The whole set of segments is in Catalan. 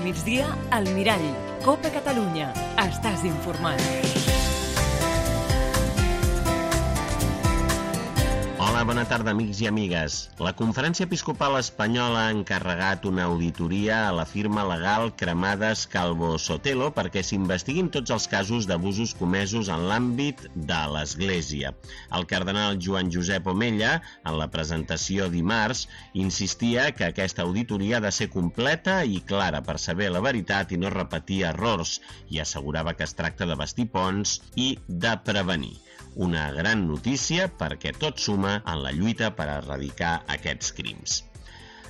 migdia, al Mirall. Copa Catalunya. Estàs informat. Hola, bona tarda, amics i amigues. La Conferència Episcopal Espanyola ha encarregat una auditoria a la firma legal Cremades Calvo Sotelo perquè s'investiguin tots els casos d'abusos comesos en l'àmbit de l'Església. El cardenal Joan Josep Omella, en la presentació dimarts, insistia que aquesta auditoria ha de ser completa i clara per saber la veritat i no repetir errors, i assegurava que es tracta de bastir ponts i de prevenir. Una gran notícia perquè tot suma en la lluita per erradicar aquests crims.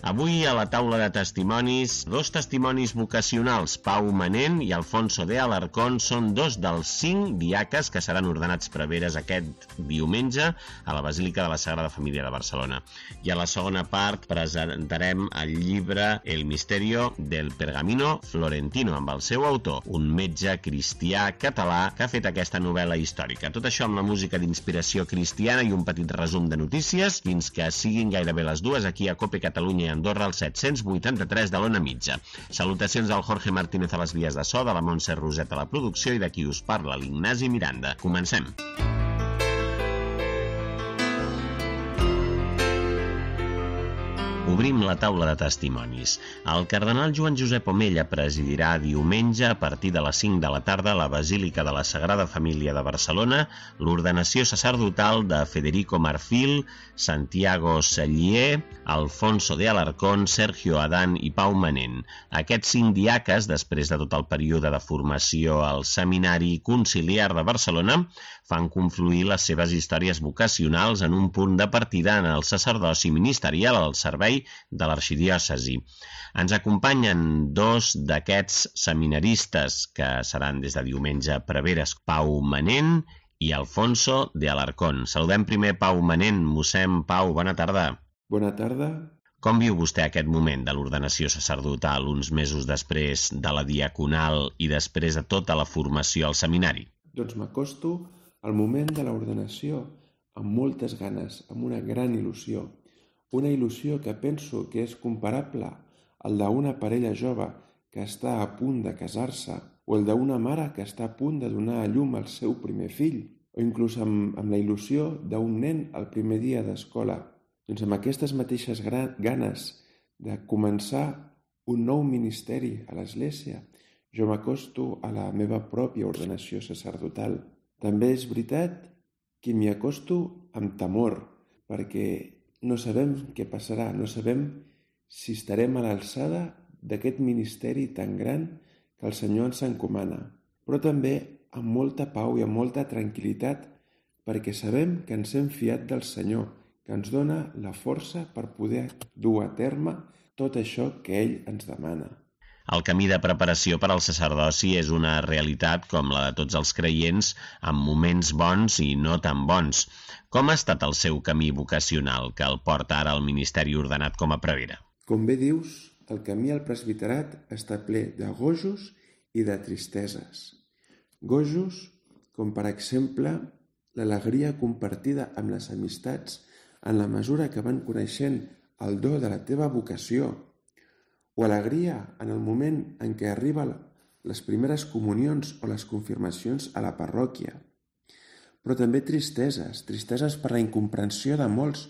Avui a la taula de testimonis, dos testimonis vocacionals, Pau Manent i Alfonso de Alarcón, són dos dels 5 diaques que seran ordenats preveres aquest diumenge a la Basílica de la Sagrada Família de Barcelona. I a la segona part presentarem el llibre El misterio del pergamino florentino, amb el seu autor, un metge cristià català que ha fet aquesta novel·la històrica. Tot això amb la música d'inspiració cristiana i un petit resum de notícies fins que siguin gairebé les 2 aquí a Copa Catalunya Andorra, al 783 de l'Ona Mitja. Salutacions al Jorge Martínez a les vies de so, de la Montse Roset a la producció i de qui us parla, l'Ignasi Miranda. Comencem. Obrim la taula de testimonis. El cardenal Joan Josep Omella presidirà diumenge a partir de les 5 de la tarda a la Basílica de la Sagrada Família de Barcelona l'ordenació sacerdotal de Federico Marfil, Santiago Sellier, Alfonso de Alarcón, Sergio Adán i Pau Manent. Aquests 5 diaques, després de tot el període de formació al Seminari Conciliar de Barcelona, fan confluir les seves històries vocacionals en un punt de partida en el sacerdoci ministerial al servei de l'arxidiòcesi. Ens acompanyen 2 d'aquests seminaristes que seran des de diumenge preveres, Pau Manent i Alfonso de Alarcón. Saludem primer Pau Manent. Mossèn Pau, bona tarda. Bona tarda. Com viu vostè aquest moment de l'ordenació sacerdotal, uns mesos després de la diaconal i després de tota la formació al seminari? Doncs m'acosto al moment de l'ordenació amb moltes ganes, amb una gran il·lusió. Una il·lusió que penso que és comparable al d'una parella jove que està a punt de casar-se o el d'una mare que està a punt de donar a llum al seu primer fill o inclús amb la il·lusió d'un nen al primer dia d'escola. Doncs amb aquestes mateixes ganes de començar un nou ministeri a l'Església, jo m'acosto a la meva pròpia ordenació sacerdotal. També és veritat que m'hi acosto amb temor, perquè no sabem què passarà, no sabem si estarem a l'alçada d'aquest ministeri tan gran que el Senyor ens encomana, però també amb molta pau i amb molta tranquil·litat perquè sabem que ens hem fiat del Senyor, que ens dona la força per poder dur a terme tot això que ell ens demana. El camí de preparació per al sacerdoci és una realitat com la de tots els creients, amb moments bons i no tan bons. Com ha estat el seu camí vocacional que el porta ara al ministeri ordenat com a prevere? Com bé dius, el camí al presbiterat està ple de gojos i de tristeses. Gojos, com per exemple l'alegria compartida amb les amistats en la mesura que van coneixent el do de la teva vocació, o alegria en el moment en què arriben les primeres comunions o les confirmacions a la parròquia. Però també tristeses per la incomprensió de molts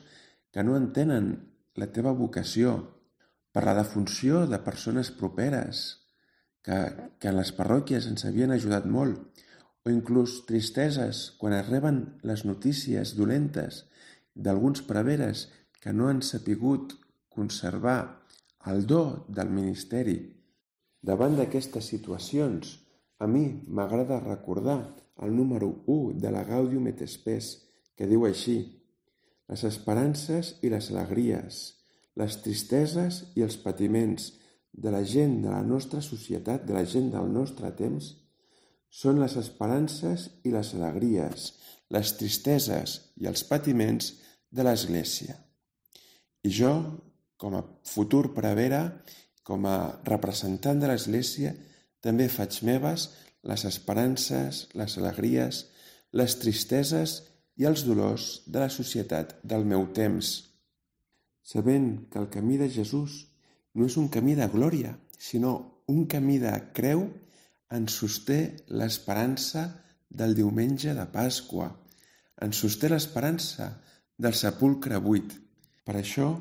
que no entenen la teva vocació, per la defunció de persones properes que en les parròquies ens havien ajudat molt, o inclús tristeses quan es reben les notícies dolentes d'alguns preveres que no han sapigut conservar el do del ministeri. Davant d'aquestes situacions, a mi m'agrada recordar el número 1 de la Gaudium et Spes, que diu així: les esperances i les alegries, les tristeses i els patiments de la gent de la nostra societat, de la gent del nostre temps, són les esperances i les alegries, les tristeses i els patiments de l'Església. I jo, com a futur prevere, com a representant de l'Església, també faig meves les esperances, les alegries, les tristeses i els dolors de la societat del meu temps, sabent que el camí de Jesús no és un camí de glòria, sinó un camí de creu ens sosté l'esperança del diumenge de Pasqua, ens sosté l'esperança del sepulcre buit. Per això,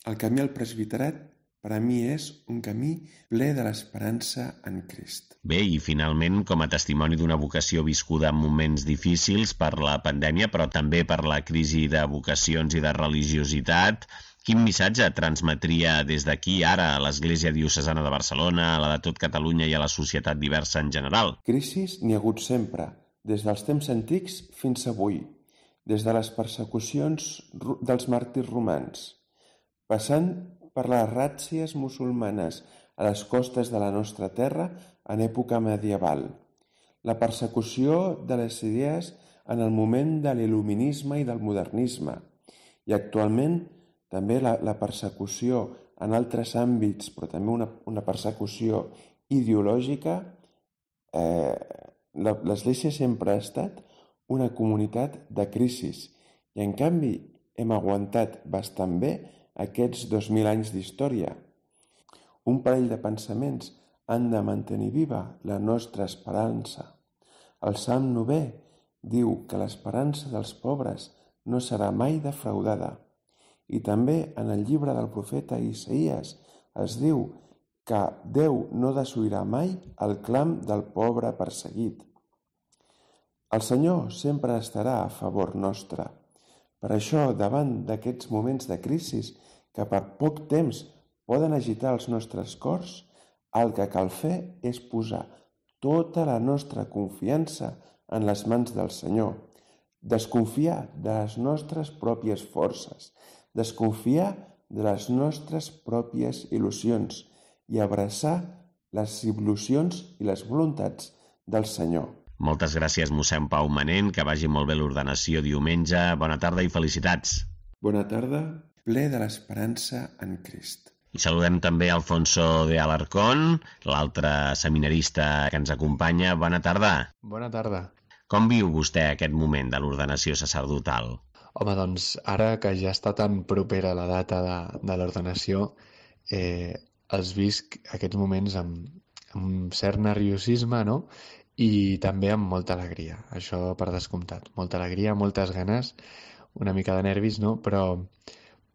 el camí al presbiterat per a mi és un camí ple de l'esperança en Crist. Bé, i finalment, com a testimoni d'una vocació viscuda en moments difícils per la pandèmia, però també per la crisi de vocacions i de religiositat, quin missatge transmetria des d'aquí ara a l'Església Diocesana de Barcelona, a la de tot Catalunya i a la societat diversa en general? Crisis n'hi ha hagut sempre, des dels temps antics fins avui, des de les persecucions dels màrtirs romans, passant per les ràtzies musulmanes a les costes de la nostra terra en època medieval, la persecució de les idees en el moment de l'il·luminisme i del modernisme, i actualment també la persecució en altres àmbits, però també una persecució ideològica. L'Església sempre ha estat una comunitat de crisis i, en canvi, hem aguantat bastant bé aquests 2.000 anys d'història. Un parell de pensaments han de mantenir viva la nostra esperança. El Salm 9 diu que l'esperança dels pobres no serà mai defraudada. I també en el llibre del profeta Isaïes es diu que Déu no desoirà mai el clam del pobre perseguit. El Senyor sempre estarà a favor nostre. Per això, davant d'aquests moments de crisi que per poc temps poden agitar els nostres cors, el que cal fer és posar tota la nostra confiança en les mans del Senyor, desconfiar de les nostres pròpies forces, desconfiar de les nostres pròpies il·lusions i abraçar les il·lusions i les voluntats del Senyor. Moltes gràcies, mossèn Pau Manent, que vagi molt bé l'ordenació diumenge. Bona tarda i felicitats. Bona tarda, ple de l'esperança en Crist. I saludem també Alfonso de Alarcón, l'altre seminarista que ens acompanya. Bona tarda. Bona tarda. Com viu vostè aquest moment de l'ordenació sacerdotal? Home, doncs, ara que ja està tan propera la data de l'ordenació, els visc aquests moments amb cert nerviosisme, no? I també amb molta alegria, això per descomptat. Molta alegria, moltes ganes, una mica de nervis, no? Però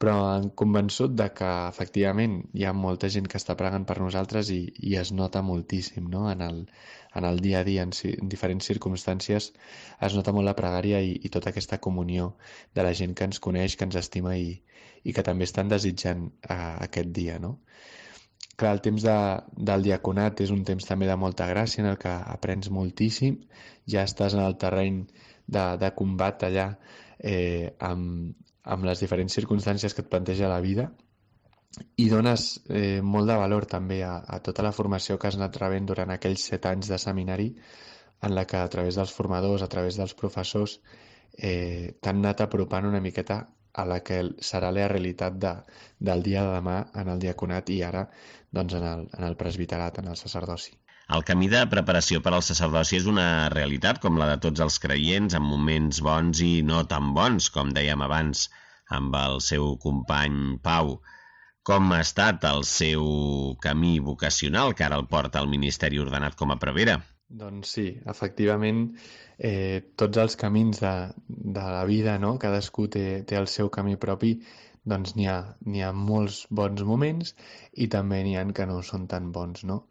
em convençut de que efectivament hi ha molta gent que està pregant per nosaltres i es nota moltíssim, no? En el dia a dia, en diferents circumstàncies, es nota molt la pregària i tota aquesta comunió de la gent que ens coneix, que ens estima i que també estan desitjant aquest dia, no? Clar, el temps del diaconat és un temps també de molta gràcia en el que aprens moltíssim, ja estàs en el terreny de combat allà amb les diferents circumstàncies que et planteja la vida i dones molt de valor també a tota la formació que has anat rebent durant aquells 7 anys de seminari en la que a través dels formadors, a través dels professors t'han anat apropant una miqueta a la que serà la realitat del dia de demà en el diaconat i ara doncs en el presbiterat, en el sacerdoci. El camí de preparació per al sacerdoci és una realitat com la de tots els creients, amb moments bons i no tan bons, com dèiem abans amb el seu company Pau. Com ha estat el seu camí vocacional que ara el porta al ministeri ordenat com a prevere? Doncs sí, efectivament, tots els camins de la vida, no? Cadascú té el seu camí propi, doncs n'hi ha molts bons moments i també n'hi ha que no són tan bons, no?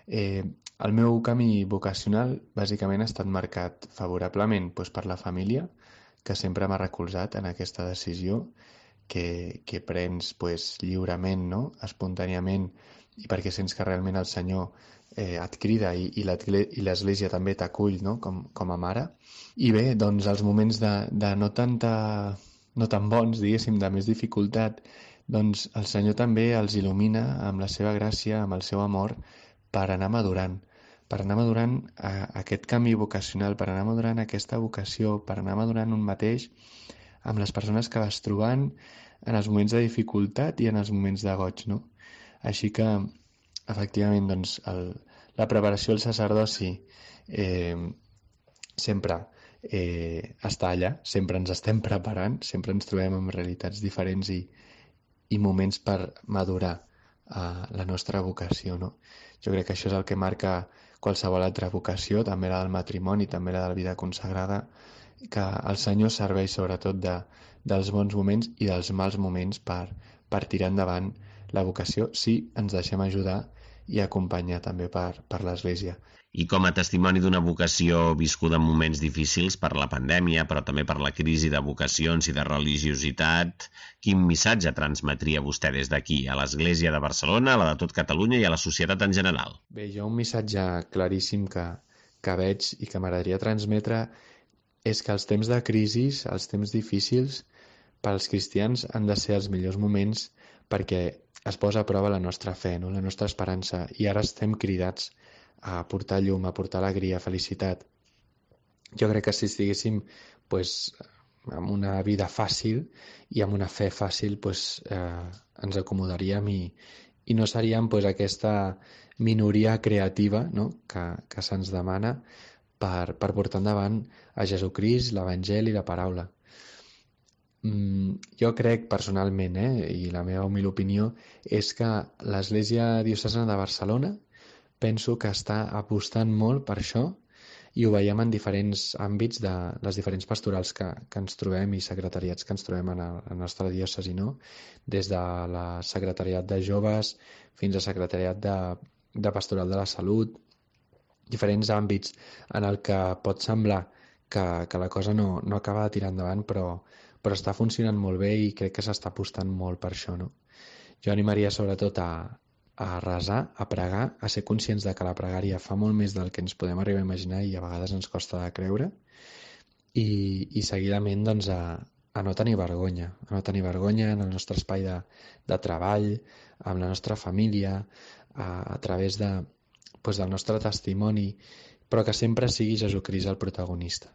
El meu camí vocacional bàsicament ha estat marcat favorablement per la família, que sempre m'ha recolzat en aquesta decisió que prens lliurement, no? Espontàniament, i perquè sents que realment el Senyor et crida i l'Església també t'acull, no? com a mare. I bé, doncs els moments de no tan bons, diguéssim, de més dificultat, doncs el Senyor també els il·lumina amb la seva gràcia, amb el seu amor, per anar madurant aquest camí vocacional, per anar madurant aquesta vocació, per anar madurant un mateix amb les persones que vas trobant en els moments de dificultat i en els moments de goig, no? Així que, efectivament, doncs, la preparació al sacerdoci sempre està allà, sempre ens estem preparant, sempre ens trobem amb realitats diferents i moments per madurar la nostra vocació, no? Jo crec que això és el que marca qualsevol altra vocació, també la del matrimoni, també la de la vida consagrada, que el Senyor serveix sobretot dels bons moments i dels mals moments per tirar endavant la vocació, si ens deixem ajudar i acompanyar també per l'Església. I com a testimoni d'una vocació viscuda en moments difícils per la pandèmia, però també per la crisi de vocacions i de religiositat, quin missatge transmetria vostè des d'aquí, a l'Església de Barcelona, a la de tot Catalunya i a la societat en general? Bé, jo un missatge claríssim que veig i que m'agradaria transmetre és que els temps de crisi, els temps difícils, pels cristians han de ser els millors moments perquè es posa a prova la nostra fe, no? La nostra esperança, i ara estem cridats a portar llum, a portar alegria, felicitat. Jo crec que si estiguéssim amb una vida fàcil i amb una fe fàcil, ens acomodaríem i no seríem aquesta minoria creativa, no? que se'ns demana per portar endavant a Jesucrist, l'Evangeli i la paraula. Jo crec personalment, i la meva humil opinió, és que l'Església Diocesana de Barcelona penso que està apostant molt per això i ho veiem en diferents àmbits de les diferents pastorals que ens trobem i secretariats que ens trobem a la nostra diòcesi, no? Des de la secretariat de joves fins a secretariat de pastoral de la salut, diferents àmbits en el que pot semblar que la cosa no acaba de tirar endavant, però està funcionant molt bé i crec que s'està apostant molt per això, no? Jo animaria sobretot a resar, a pregar, a ser conscients de que la pregària fa molt més del que ens podem arribar a imaginar i a vegades ens costa de creure, i seguidament a no tenir vergonya, en el nostre espai de treball, amb la nostra família, a través del nostre testimoni, però que sempre sigui Jesucrist el protagonista.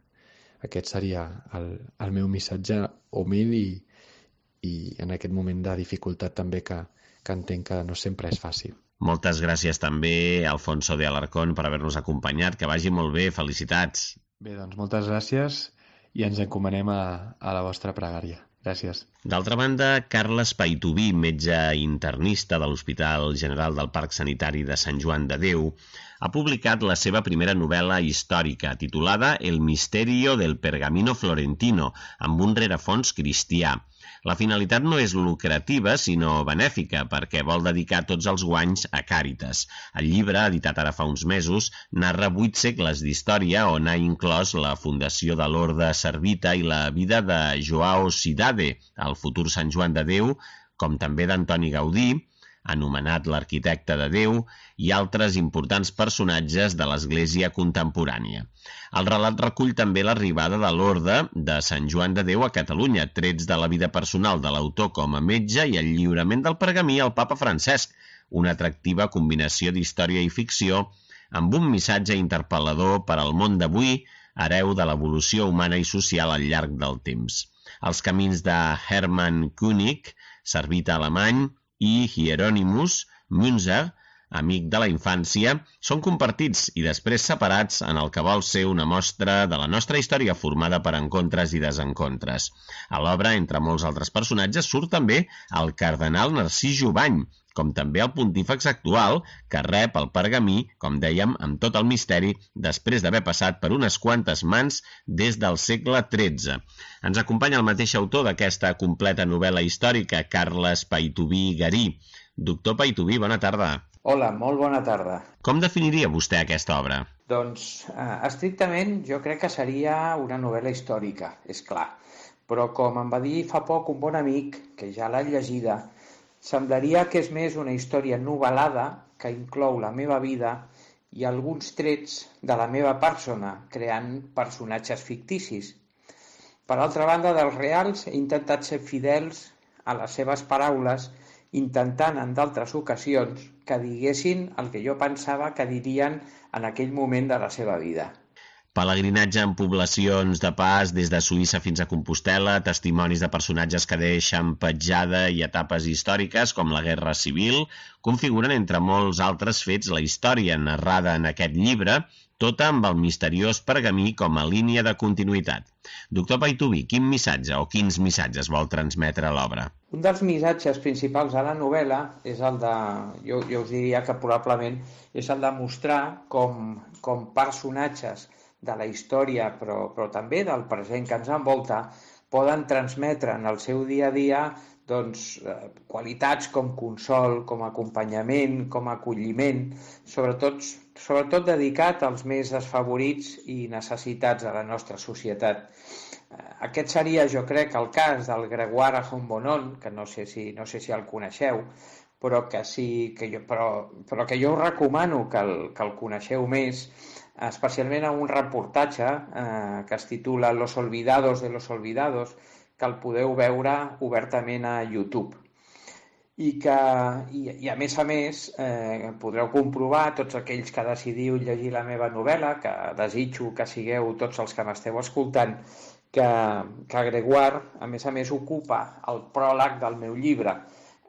Aquest seria el meu missatge humil i en aquest moment de dificultat també que entenc que no sempre és fàcil. Moltes gràcies també, Alfonso de Alarcón, per haver-nos acompanyat. Que vagi molt bé, felicitats. Bé, doncs moltes gràcies i ens encomanem a la vostra pregària. Gràcies. D'altra banda, Carles Paituví, metge internista de l'Hospital General del Parc Sanitari de Sant Joan de Déu, ha publicat la seva primera novel·la històrica, titulada El misterio del pergamino florentino, amb un rerefons cristià. La finalitat no és lucrativa, sinó benèfica, perquè vol dedicar tots els guanys a Càritas. El llibre, editat ara fa uns mesos, narra 8 segles d'història on ha inclòs la fundació de l'Orde Servita i la vida de Joao Cidade, el futur Sant Joan de Déu, com també d'Antoni Gaudí, anomenat l'arquitecte de Déu, i altres importants personatges de l'Església contemporània. El relat recull també l'arribada de l'Orde de Sant Joan de Déu a Catalunya, trets de la vida personal de l'autor com a metge i el lliurament del pergamí al papa Francesc, una atractiva combinació d'història i ficció amb un missatge interpel·lador per al món d'avui, hereu de l'evolució humana i social al llarg del temps. Els camins de Hermann König, servita alemany, i Hieronymus Münzer, amic de la infància, són compartits i després separats en el que vol ser una mostra de la nostra història formada per encontres i desencontres. A l'obra, entre molts altres personatges, surt també el cardenal Narcís Jubany, com també el pontífex actual, que rep el pergamí, com dèiem, amb tot el misteri, després d'haver passat per unes quantes mans des del segle XIII. Ens acompanya el mateix autor d'aquesta completa novel·la històrica, Carles Paituví Garí. Doctor Paituví, bona tarda. Hola, molt bona tarda. Com definiria vostè aquesta obra? Doncs, estrictament, jo crec que seria una novel·la històrica, és clar. Però com em va dir fa poc un bon amic, que ja l'ha llegida, semblaria que és més una història novel·lada que inclou la meva vida i alguns trets de la meva persona, creant personatges ficticis. Per altra banda, dels reals, he intentat ser fidels a les seves paraules, intentant en d'altres ocasions que diguessin el que jo pensava que dirien en aquell moment de la seva vida. Pelegrinatge en poblacions de pas des de Suïssa fins a Compostel·la, testimonis de personatges que deixen petjada i etapes històriques com la Guerra Civil, configuren entre molts altres fets la història narrada en aquest llibre, tota amb el misteriós pergamí com a línia de continuïtat. Doctor Paituví, quin missatge o quins missatges vol transmetre l'obra? Un dels missatges principals de la novel·la és el de, jo us diria que probablement és el de mostrar com personatges de la història, però també del present que ens envolta, poden transmetre en el seu dia a dia qualitats com consol, com acompanyament, com acolliment, sobretot dedicat als més desfavorits i necessitats de la nostra societat. Aquest seria, jo crec, el cas del Grégoire Hambonnet, que no sé si el coneixeu, però que jo us recomano que el coneixeu més, especialment en un reportatge que es titula Los olvidados de los olvidados, que el podeu veure obertament a YouTube. I a més podreu comprovar, tots aquells que decidiu llegir la meva novel·la, que desitjo que sigueu tots els que m'esteu escoltant, que Grégoire, a més, ocupa el pròleg del meu llibre.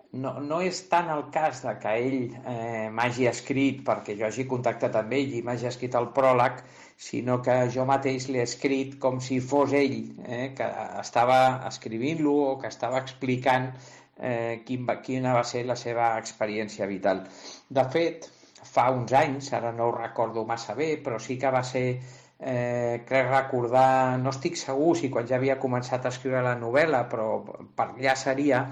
No és tant el cas de que ell m'hagi escrit perquè jo hagi contactat amb ell i m'hagi escrit el pròleg, sinó que jo mateix l'he escrit com si fos ell, que estava escrivint-lo o que estava explicant quina va ser la seva experiència vital. De fet, fa uns anys, ara no ho recordo massa bé, però sí que va ser, crec recordar, no estic segur si quan ja havia començat a escriure la novel·la, però per allà seria,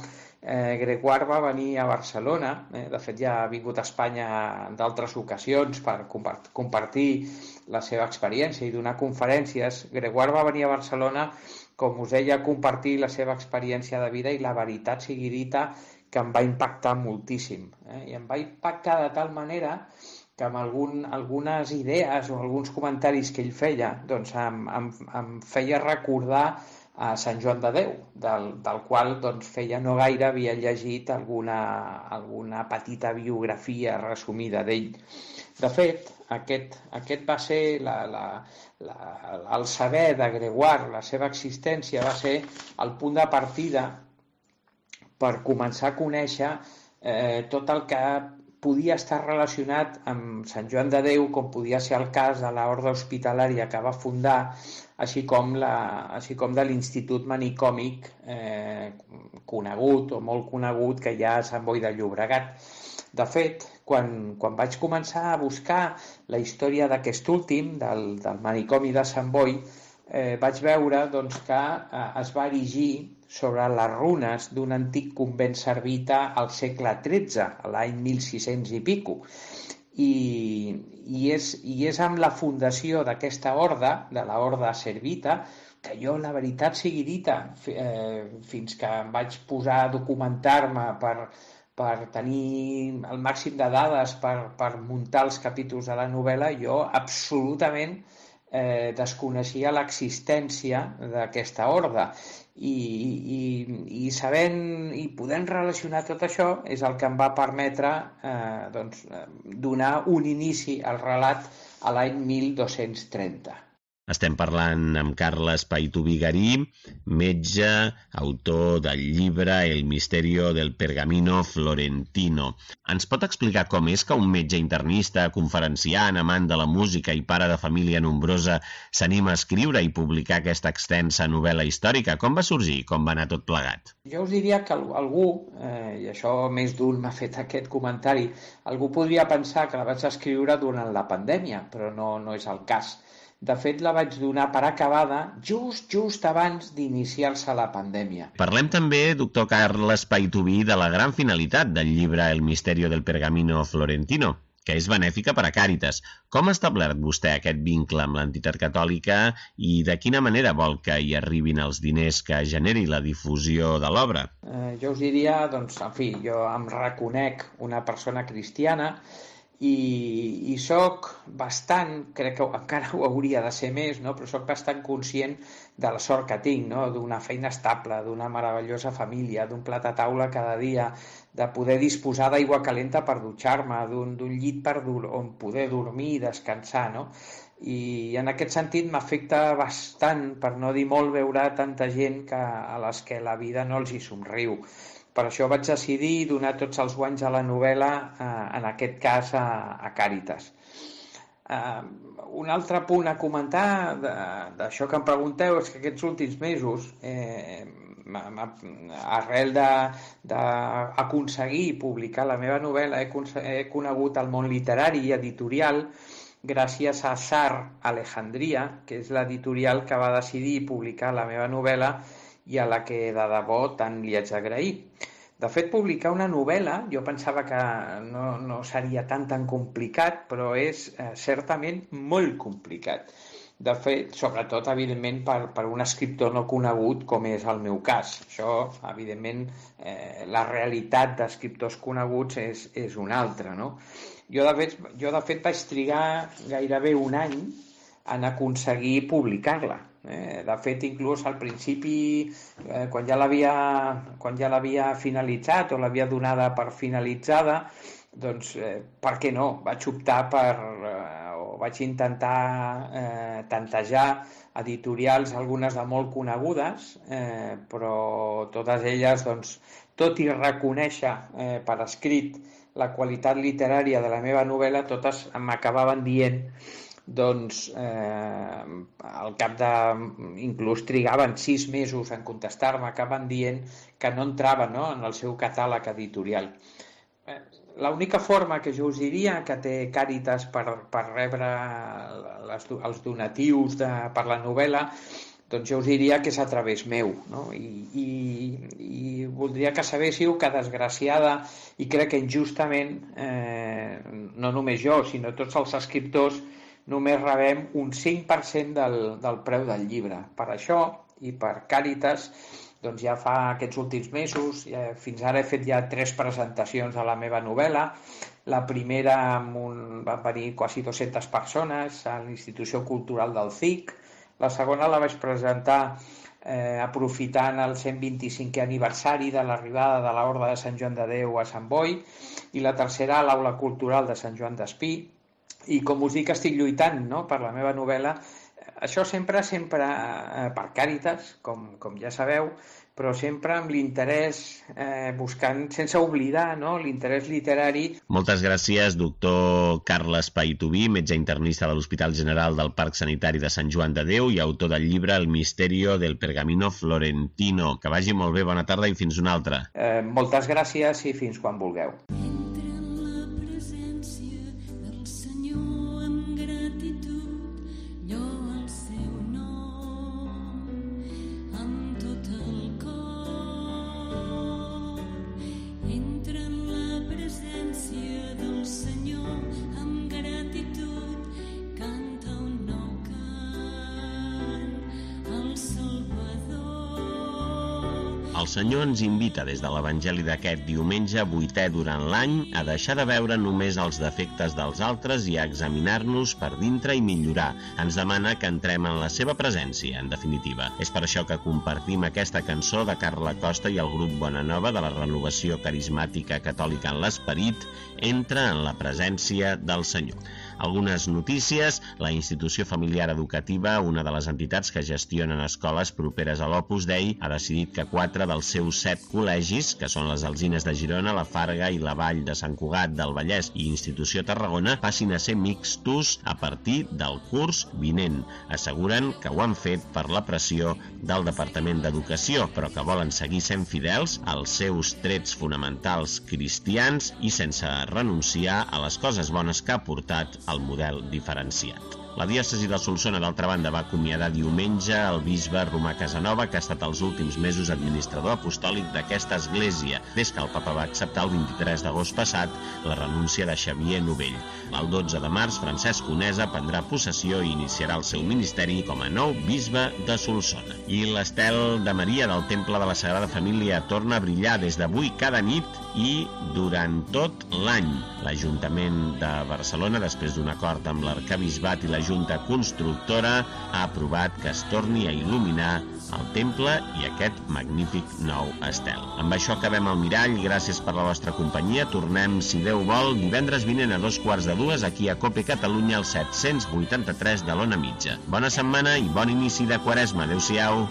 Grégoire va venir a Barcelona, de fet ja ha vingut a Espanya en d'altres ocasions per compartir la seva experiència i donar conferències. Grégoire va venir a Barcelona, com us deia, a compartir la seva experiència de vida i la veritat sigui dita que em va impactar moltíssim. I em va impactar de tal manera que amb algunes idees o alguns comentaris que ell feia em feia recordar a Sant Joan de Déu, del qual feia no gaire havia llegit alguna petita biografia resumida d'ell. De fet, aquest va ser el saber de Grégoire, la seva existència va ser el punt de partida per començar a conèixer tot el que podia estar relacionat amb Sant Joan de Déu, com podia ser el cas de l'Orde Hospitalària que va fundar, així com de l'Institut Manicòmic conegut o molt conegut que hi ha a Sant Boi de Llobregat. De fet, quan vaig començar a buscar la història d'aquest últim, del manicomi de Sant Boi, vaig veure que es va erigir sobre les runes d'un antic convent servita al segle XIII, l'any 1600 i pico. I és amb la fundació d'aquesta orde, de l'orde servita, que jo, la veritat sigui dita, fins que em vaig posar a documentar-me per tenir el màxim de dades per muntar els capítols de la novel·la, jo absolutament desconeixia l'existència d'aquesta orde i sabent i podent relacionar tot això és el que em va permetre donar un inici al relat a l'any 1230. Estem parlant amb Carles Paituví Garí, metge, autor del llibre El misterio del pergamino florentino. Ens pot explicar com és que un metge internista, conferenciant, amant de la música i pare de família nombrosa s'anima a escriure i publicar aquesta extensa novel·la històrica? Com va sorgir? Com va anar tot plegat? Jo us diria que algú, i això més d'un m'ha fet aquest comentari, algú podria pensar que la vaig escriure durant la pandèmia, però no és el cas. De fet, la vaig donar per acabada just abans d'iniciar-se la pandèmia. Parlem també, doctor Carles Paituví, de la gran finalitat del llibre El misterio del pergamino florentino, que és benèfica per a Càritas. Com ha establert vostè aquest vincle amb l'entitat catòlica i de quina manera vol que hi arribin els diners que generi la difusió de l'obra? Jo us diria, jo em reconec una persona cristiana i soc bastant, crec que encara ho hauria de ser més, no? Però soc bastant conscient de la sort que tinc, no? D'una feina estable, d'una meravellosa família, d'un plat a taula cada dia, de poder disposar d'aigua calenta per dutxar-me, d'un llit on poder dormir i descansar, no? I en aquest sentit m'afecta bastant, per no dir molt, veure tanta gent a les que la vida no els hi somriu. Per això vaig decidir donar tots els guanys a la novel·la, en aquest cas a Càritas. Un altre punt a comentar d'això que em pregunteu és que aquests últims mesos, arrel d'aconseguir publicar la meva novel·la, he conegut el món literari i editorial gràcies a SAR Alejandria, que és l'editorial que va decidir publicar la meva novel·la i a la que de debò tant li haig d'agrair. De fet, publicar una novel·la, jo pensava que no seria tan complicat, però és certament molt complicat. De fet, sobretot, evidentment, per un escriptor no conegut, com és el meu cas. Això, evidentment, la realitat d'escriptors coneguts és una altra, no? Jo, de fet, vaig trigar gairebé un any en aconseguir publicar-la. De fet, inclús al principi, quan ja l'havia finalitzat o l'havia donada per finalitzada, doncs, per què no? Vaig optar vaig intentar tantejar editorials, algunes de molt conegudes, però totes elles, doncs, tot i reconèixer per escrit la qualitat literària de la meva novel·la, totes m'acabaven dient, doncs al cap de... inclús trigaven 6 mesos en contestar-me, acaben dient que no entrava, no?, en el seu catàleg editorial. L'única forma que jo us diria que té Càritas per rebre els donatius per la novel·la, doncs jo us diria que és a través meu, no? I voldria que sabéssiu que, desgraciada, i crec que injustament, no només jo, sinó tots els escriptors, només rebem un 5% del preu del llibre. Per això, i per Càritas, doncs ja fa aquests últims mesos, fins ara he fet ja 3 presentacions de la meva novel·la. La primera van venir quasi 200 persones a l'Institució Cultural del CIC. La segona la vaig presentar aprofitant el 125è aniversari de l'arribada de l'Orde de Sant Joan de Déu a Sant Boi, i la tercera a l'Aula Cultural de Sant Joan d'Espí. I com us dic, estic lluitant, no?, per la meva novel·la. Això sempre per Càritas, com ja sabeu, però sempre amb l'interès, buscant, sense oblidar, no?, l'interès literari. Moltes gràcies, doctor Carles Paituví, metge internista de l'Hospital General del Parc Sanitari de Sant Joan de Déu i autor del llibre El misterio del pergamino florentino. Que vagi molt bé, bona tarda i fins una altra. Moltes gràcies i fins quan vulgueu. El Senyor ens invita des de l'Evangeli d'aquest diumenge 8è durant l'any a deixar de veure només els defectes dels altres i a examinar-nos per dintre i millorar. Ens demana que entrem en la seva presència, en definitiva. És per això que compartim aquesta cançó de Carla Costa i el grup Bona Nova de la Renovació Carismàtica Catòlica en l'Esperit, Entra en la presència del Senyor. Algunes notícies. La Institució Familiar Educativa, una de les entitats que gestionen escoles properes a l'Opus Dei, ha decidit que 4 dels seus 7 col·legis, que són les Alzines de Girona, la Farga i la Vall de Sant Cugat del Vallès i Institució Tarragona, passin a ser mixtos a partir del curs vinent. Asseguren que ho han fet per la pressió del Departament d'Educació, però que volen seguir sent fidels als seus trets fonamentals cristians i sense renunciar a les coses bones que ha portat el model diferenciat. La diòcesi de Solsona, d'altra banda, va acomiadar diumenge el bisbe Romà Casanova, que ha estat els últims mesos administrador apostòlic d'aquesta església, des que el papa va acceptar el 23 d'agost passat la renúncia de Xavier Novell. El 12 de març, Francesc Conesa prendrà possessió i iniciarà el seu ministeri com a nou bisbe de Solsona. I l'estel de Maria del Temple de la Sagrada Família torna a brillar des d'avui cada nit i durant tot l'any. L'Ajuntament de Barcelona, després d'un acord amb l'Arquebisbat i la Junta Constructora, ha aprovat que es torni a il·luminar el temple i aquest magnífic nou estel. Amb això acabem el mirall. Gràcies per la vostra companyia. Tornem, si Déu vol, divendres vinent a 2:45 aquí a Cope Catalunya, al 783 de l'Ona Mitja. Bona setmana i bon inici de Quaresma. Adéu-siau.